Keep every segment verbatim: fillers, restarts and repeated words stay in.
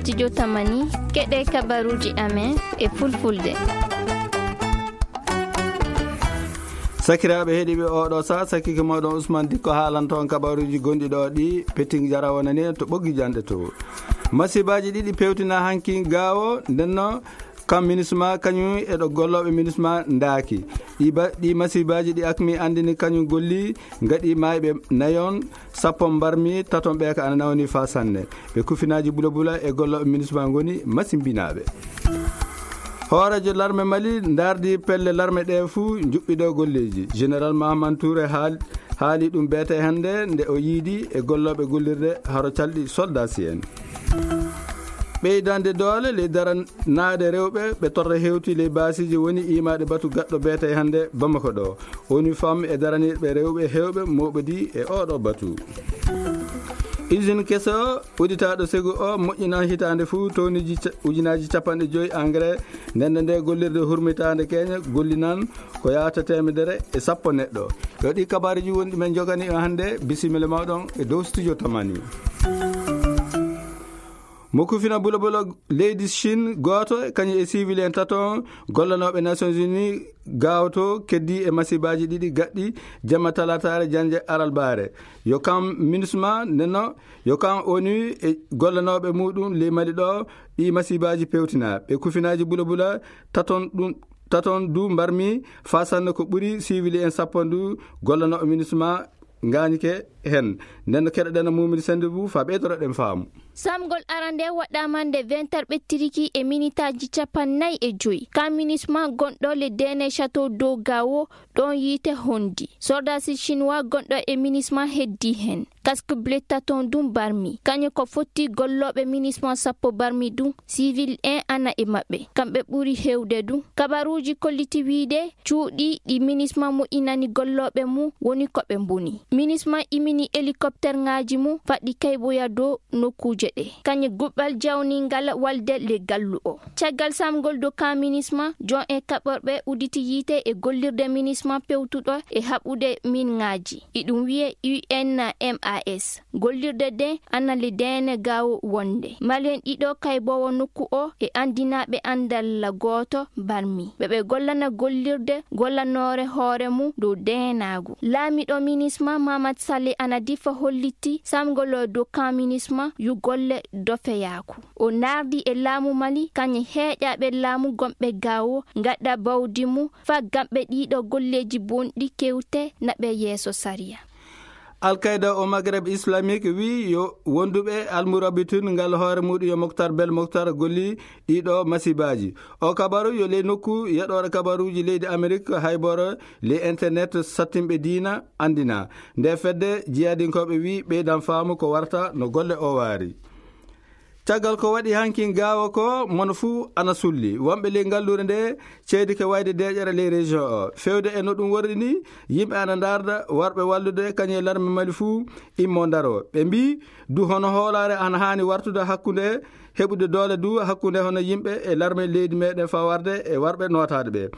Studio Tamani, keɗe kabaruji amen e fulfulde. Sakiraaɓe heɗiiɓe, oɗo sa sakike moɗon Usman Dikko haalanto on kabaruji gonɗi ɗo ɗi. Peting Jara wonani en to ɓoggi janɗe to. Masibaji ɗiɗi pewtina hanki gawo, ndenno kam minisma kañum e ɗo gollooɓe minisma ndaaki. Ɗi ba-, ɗi masibaji ɗi akmi andini kañum golli, ngaɗi mayɓe nayon, sappo mbarmi, taton ɓe ka ana nawni fa sanne. Ɓe kufinaaji bula bula e gollooɓe minisma ngoni masimbinaaɓe. Hooreejo larme Mali ndardi pelle larme ɗe fuu njuɓɓiɗo golleeji. Général Mahaman Touré haal-, haali ɗum beete hannde nde o yiidi e gollooɓe gollirde haro calɗi soldasi en. Ɓeydande doole ley daranaade rewɓe ɓe torra hewti ley baasiiji woni imaade batu gaɗɗo beete hannde Bamako ɗo. Woni fam e daraniiɓe rewɓe hewɓe mooɓodi e oɗo batu. Usine keso uditaaɗo segu o moƴƴinan hitaande fuu toniji ca-, ujunaaji capanɗe joyi engrais. Ndende nde gollirde hurmitaande keñe gollinan ko yaata teemedere e sappo neɗɗo. Yo ɗi kabaruji woni ɗi men jogani on hannde. Bisimilla mawɗon e dow studio Tamani. Mo kufina bula bula leydi Chine gooto, kañum e civil en tato gollanooɓe Nations Unies gaawto keddi e masiibaaji ɗiɗi gaɗɗi jamma talaataare jannde aralbaare. Yo kam MINUSMA nenno, yo kam ONU e gollanooɓe muɗum ley Mali ɗo ɗi masiibaaji pewtina. Ɓe kufinaaji bula bula taton ɗum, taton du mbarmi fasanno ko ɓuri civil en sappo ndu gollanooɓe MINUSMA ngañike hen. Nden no keɗoɗen Mumini Senndu bu fa ɓeydoroɗen faamu. Samgol arande waɗɗaama nde vingt heures ɓettiriki e minitaaji capannay e joyi. Ka MINUSMA gonɗo le Dene Château d'Eau Gao ɗon yiite hondi. Soldasi chinois gonɗo e MINUSMA heddi hen. Casque bleu taton dum barmi. Kañum ko fotti gollooɓe MINUSMA sappo barmi dum. Civil en ana e maɓɓe. Kamɓe ɓuri hewde dum. Kabaruuji kolliti wiide cuuɗi ɗi MINUSMA moƴƴinani gollooɓe mum woni ko ɓe mboni. MINUSMA imini hélicoptère ŋaaji mum faɗɗi kayboya dow nokkuuje ɗe. Kañum guɓɓal jawningal walde le gallu o. Caggal samgol dow ka MINUSMA, jon e kaɓorɓe uditi yiite e gollirde MINUSMA pewtuɗo e haɓude min ŋaaji. Iɗum wiye U N M A S. Gollirde de ana le Dene Gao wonde. Malien ɗiɗo kaybowo nokku o e andinaaɓe andal gooto barmi. Ɓe ɓe gollana gollirde gollanoore hoore mum dow deenaagu. Laamiɗo MINUSMA Mamadou Saleh Anadifa holliti samgol dow ka MINUSMA yu golle dofeyaaku. O nardi e laamu Mali kañe heeƴaaɓe laamu gomɓe Gao ngaɗa bawdi mum fa gamɓe ɗiɗo golleeji bonɗi kewte naɓe yeeso sariya. Al-Qaeda o Maghreb Islamique wi yo wonduɓe almurabitun ngal hoore muɗum yo Moktar Bel Moktar golli ɗiɗo masibaji. O kabaru yo ley nokku yeɗoɗo kabaruji leydi Amerique hayboro ley internet sattinɓe diina andina. Nde fedde jiyadinkoɓe wi ɓeydan faamu ko warta no golle o waari. Caggal ko waɗi hankin gaawa ko mono fuu ana sulli. Wonɓe ley ngallure nde ceedi ke wayde deeƴere ley région o. Fewde e no ɗum worri ni, yimɓe ana ndarda warɓe wallude kañum e larme Mali fuu immo ndaro. Ɓe mbii du hono hoolaare ana haani wartude hakkunde heɓude doole du hakkunde hono yimɓe e larme leydi meɗen fawarde e warɓe nootaade ɓe.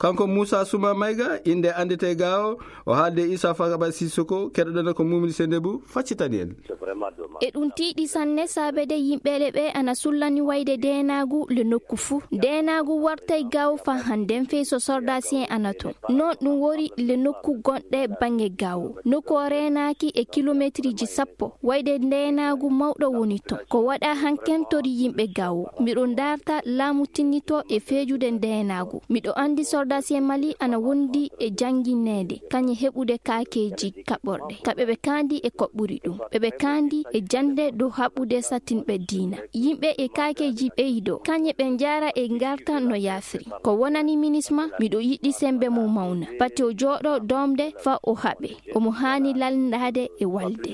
Kanko Moussa Souma Maïga, innde anndete gaawo, o haalde Issa Fagaba Sissoko, keɗoɗen ko Mumini Sendebu, faccitani en. E ɗum tiiɗi sanne saabede yimɓeele ɓe ana sullani wayde deenaagu le nokku fuu. Deenaagu wartay gaawo fa hannden fey so sordaasi en ana ton. Non ɗum wori le nokku gonɗe baŋŋe gaawo. Nokku o reenaaki e kilometriji sappo. Wayde ndeenaagu mawɗo woni ton. Ko waɗa hanken tori yimɓe gaawo. Miɗo ndarta laamu tinnito e feejude ndeenaagu. Miɗo anndi sordaasi en Mali ana wondi e janngineede, kañe heɓude kaakeeji kaɓorɗe. Kaɓe ɓe kaandi e ko ɓuri ɗum. Ɓe ɓe kaandi e jannde dow haɓude sattinɓe diina. Yimɓe e kaakeeji ɓeydo, kañe ɓe njaara e ngarta no yaafiri. Ko wonani MINUSMA, miɗo yiɗi sembe mum mawna. Pati o jooɗo doomde fa o haɓe. Omo haani lalndaade e walde.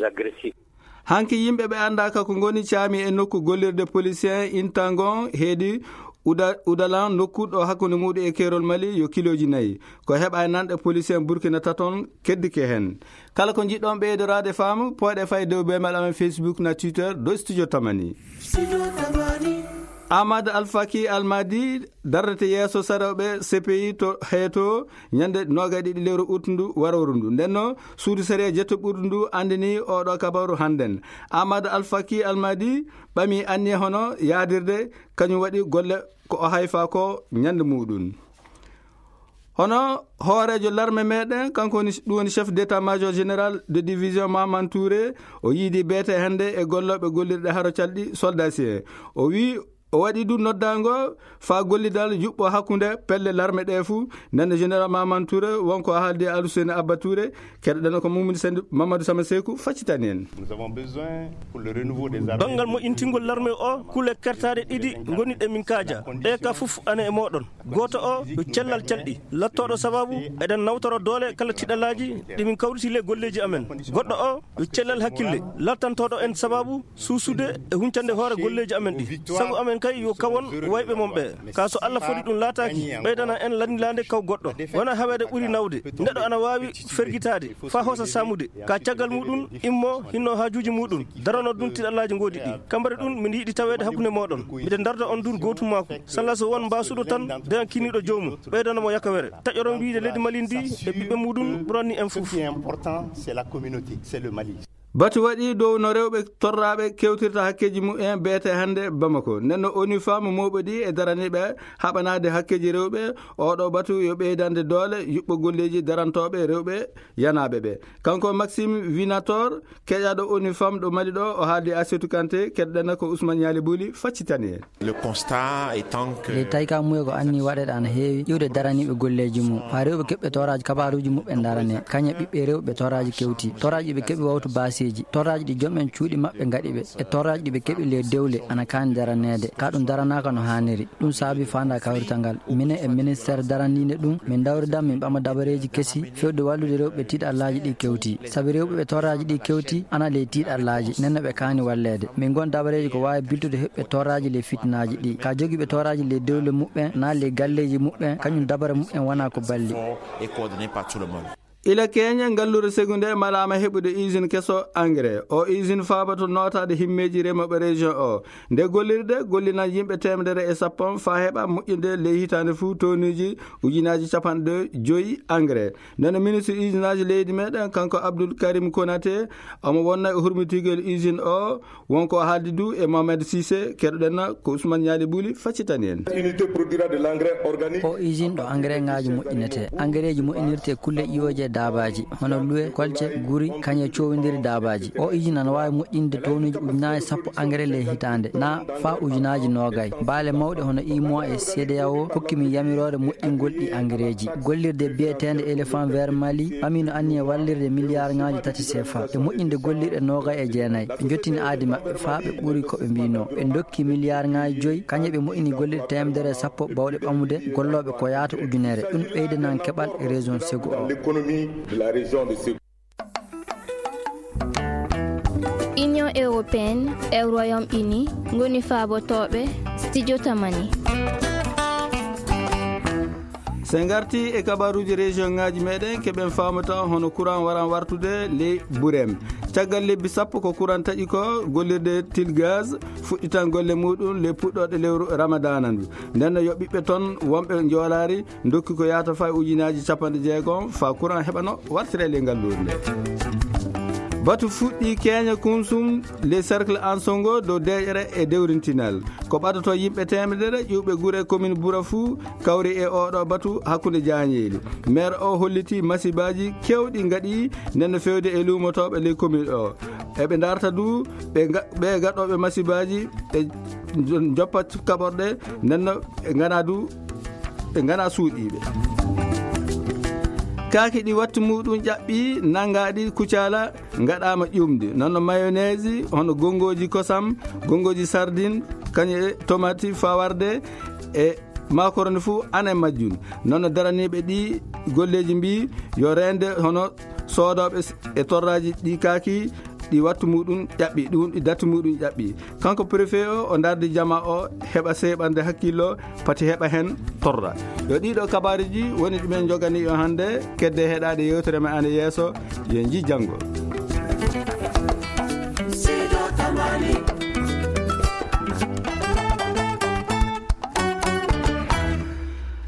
Hanki yimɓe ɓe anndaaka ko ngoni caami e nokku gollirde polisien intangon heedi Uda-, Udalan nokku ɗo hakkunde muɗum e keerol Mali yo kilooji nayi. Ko heɓa e nanɗe polisien Burkina taton keddike hen. Kala ko njiɗɗon ɓeydoraade faamu, pooɗe fay dow beemal amen Facebook na Twitter dow Studio Tamani. Ahmad Alfaki Almadi darrete yeeso sarewɓe C P I to heeto ñande noga e ɗiɗi lewru ut ndu warooru ndu. Nden no suudu sariya jetto ɓurdu ndu andini oɗo kabaru hannden. Ahmad Alfaki Almadi ɓami anniya hono yaadirde, kañum waɗi golle ko o hayfa ko ñande muɗum. Hono hooreejo larme meɗen, kanko woni, ɗum woni chef d'état-major général de division Maman Touré, o yiidi beete hannde e gollooɓe gollirɗe haro calɗi soldasier. O wi o waɗi ɗum noddaango faa gollidal yuɓɓo hakkunde pelle larme ɗe fuu. Nden général Maman Touré wonko haaldi e Aluseni Abba Touré, keɗoɗen ko Mumuni Sendi Mamadou Sama Seku faccitani en. Nous avons besoin pour le renouveau des armées. Banngal moƴƴintingol larme o, kule kertaaɗe ɗiɗi ngoni ɗe min kaaja. Ɗe ka fof ane e mooɗon. Gooto o yo cellal calɗi, lattooɗo sababu eɗen nawtora doole kala tiɗalaaji ɗi min kawriti le golleeji amen. Goɗɗo o yo cellal hakkille, lattantooɗo en sababu suusude e huncande hoore golleeji amen ɗi. Sago amen kay yo kawon wayɓe mon ɓe. Ka so Allah foti ɗum laataaki, ɓeydana en landilaande kaw goɗɗo. Wona haweede ɓuri nawde. Neɗɗo ana waawi fergitaade, faa hoosa saamude. Ka caggal muɗum, immo hinno haajuuji muɗum. Darano ɗum tiɗalaaji ngoodi ɗi. Kambari ɗum, min yiɗi taweede hakkunde mooɗon. Miɗen darda on dur gootum maaku. Salla so won mbaasuɗo tan, deyan kiniiɗo joomum. Ɓeydana mo yakawere. Taƴoron wiide leydi Mali ndi e ɓiɓɓe muɗum ɓuranni en fof. Ce qui est important, c'est la communauté, c'est le Mali. Batu waɗi dow no rewɓe torraaɓe kewtirta hakkeeji mumen beete hannde Bamako. Nden no ONU Femmes mooɓodii e daraniiɓe haɓanaade hakkeeji rewɓe. Oɗo batu yo ɓeydande doole yuɓɓo golleeji darantooɓe rewɓe yanaaɓe ɓe. Kanko Maxime Vinator, keƴaaɗo ONU Femmes ɗo Mali ɗo, o haaldi Asetu Kante, keɗɗen ko Ousmane Ñaali Buli faccitani en. Le constat étant que le tawi ka muye ko anni waɗeɗe ana heewi iwde daraniiɓe golleeji mum, faa rewɓe keɓɓe toraaji kabaaruuji muɓɓen darane, kañe ɓiɓɓe rewɓe toraaji kewti, toraaji ɓe keɓi wawtu baaseeji, toraaji ɗi joom en cuuɗi maɓɓe ngaɗi ɓe, e toraaji ɗi ɓe keɓi le dewle ana kaani daraneede, ka ɗum daranaaka no haaniri. Ɗum saabi faanda kawrital ngal. Minen e ministeer daraniinde ɗum, min dawridan min ɓama dabareeji kesi fewde wallude rewɓe tiiɗallaaji ɗi kewti. Sabi rewɓe ɓe toraaji ɗi kewti, ana ley tiiɗallaaji, nden no ɓe kaani walleede. Min ngon dabareeji ko waawi biltude heɓɓe toraaji ley fitinaaji ɗi. Ka jogiiɓe toraaji ley dewle muɓɓen, naa ley galleeji muɓɓen, kañum dabare muɓɓen wonaa ko balli. Et coordonné par tout le monde. Ila keñe, ngalluure Segu nde malaama heɓude usine keso engrais. O usine faabato nootaade himmeeji remooɓe région o. Nde gollirde gollinan yimɓe teemedere e sappo faa heɓa moƴƴinde ley hitaande fuu tonuuji ujunaaji capanɗe joyi engrais. Nden ministre usinaaji leydi meɗen, kanko Abdoul Karim Konaté, omo wonna e hurmitigol usine o. Wonko haaldi du e Mohamed Cissé, keɗoɗen ko Ousmane Ñaali Buli faccitani en. Unité produira de l'engrais organique. O usine ɗo engrais ngaaji moƴƴinete. Engrais ji moƴƴinirte kulle ƴiwooje daabaaji, hono luwe, kolce, guri, kañe cowindiri daabaaji. O usine ana waawi moƴƴinde tonuuji ujunaaji sappo engrais ley hitaande, na faa ujunaaji noogay. Baale mawɗe hono imo e C D A O kokki min yamiroore moƴƴingol ɗi engrais ji. Gollirde biyeteende Éléphant Vert Mali ɓami no anniya wallirde miliyaar ngaaji tati C F A e moƴƴinde gollirɗe noogay e jeenay. Ɓe njottini aadi maɓɓe faa ɓe ɓuri ko ɓe mbiinoo. Ɓe ndokki miliyaar ngaaji joyi, kañe ɓe moƴƴini gollirɗe teemedere e sappo bawɗe ɓamude gollooɓe ko yaata ujunere. Ɗum ɓeydanan keɓal e région Segu o. L'économie de la région de Ségou. Union européenne e Royaume-Uni ngoni faabotooɓe Studio Tamani. So en ngarti e kabaruuji région ngaaji meɗen, keɓen faamata hono courant waran wartude ley Burem. Caggal lebbi sappo ko courant taƴi ko, gollirde Til Gaz fuɗɗitan golle muɗum ley puɗɗoɗe lewru Ramadana ndu. Nden no yo ɓiɓɓe ton wonɓe Njoolaari ndokki ko yaata faa e ujunaaji capanɗe jeegom faa courant heɓano wartira ley ngalluure nde. Batu fuɗɗi keñe Kunsum, les cercles Ansongo dow deeƴere e dewrintinal. Ko ɓadato yimɓe teemedere ƴiwɓe gure commune Bura fuu kawri e oɗo batu hakkunde jaañeeli. Maire o holliti masibaaji kewɗi ngaɗi nden no fewde e luumotooɓe ley commune o. Eɓe ndarta du ɓe ga-, ɓe gaɗooɓe masibaaji ɓe joppa kaɓorɗe, nden no ɓe ngana du, ɓe ngana suuɗiiɓe. Kaaki ɗi wattu muɗum ƴaɓɓi, nanngaɗi kucala, ngaɗaama ƴuumde. Noon no mayonnaise, hono gonngooji kosam, gonngooji sardine, kañum e tomati fawarde e macaroni fuu ana e majjum. Noon no daraniiɓe ɗi golleeji mbii yo reende hono soodooɓe s-, e torraaji ɗi kaaki, ɗi wattu muɗum ƴaɓɓi, ɗum ɗi datti muɗum ƴaɓɓi. Kanko préfet o, o ndardi jama o, heɓa seeɓande hakkillo, pati heɓa heen torra. Yo ɗiɗo kabaruuji woni ɗumen njogani yo hannde, kedde heɗaade yewtere men ana yeeso, yo en njii janngo.